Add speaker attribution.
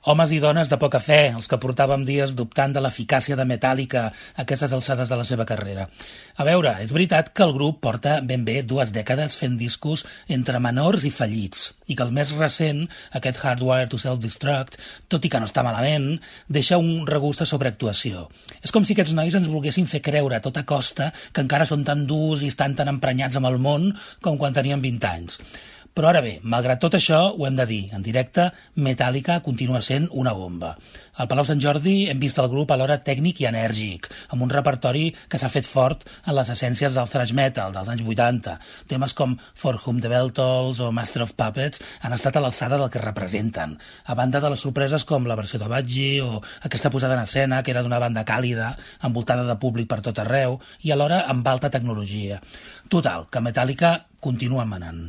Speaker 1: Homes i dones de poca fe, els que portàvem dies dubtant de l'eficàcia de Metallica a aquestes alçades de la seva carrera. A veure, és veritat que el grup porta ben bé 2 dècades fent discos entre menors i fallits, i que el més recent, aquest Hardwired to Self-Destruct, tot i que no està malament, deixa un regust a sobreactuació. És com si aquests nois ens volguessin fer creure a tota costa que encara són tan durs i estan tan emprenyats amb el món com quan tenien 20 anys. Però ara bé, malgrat tot això, ho hem de dir, en directe, Metallica continua sent una bomba. Al Palau Sant Jordi hem vist el grup alhora tècnic i enèrgic, amb un repertori que s'ha fet fort en les essències del thrash metal dels anys 80. Temes com For Whom the Bell Tolls o Master of Puppets han estat a l'alçada del que representen, a banda de les sorpreses com la versió de Budgie o aquesta posada en escena, que era d'una banda càlida, envoltada de públic per tot arreu, i alhora amb alta tecnologia. Total, que Metallica continua manant.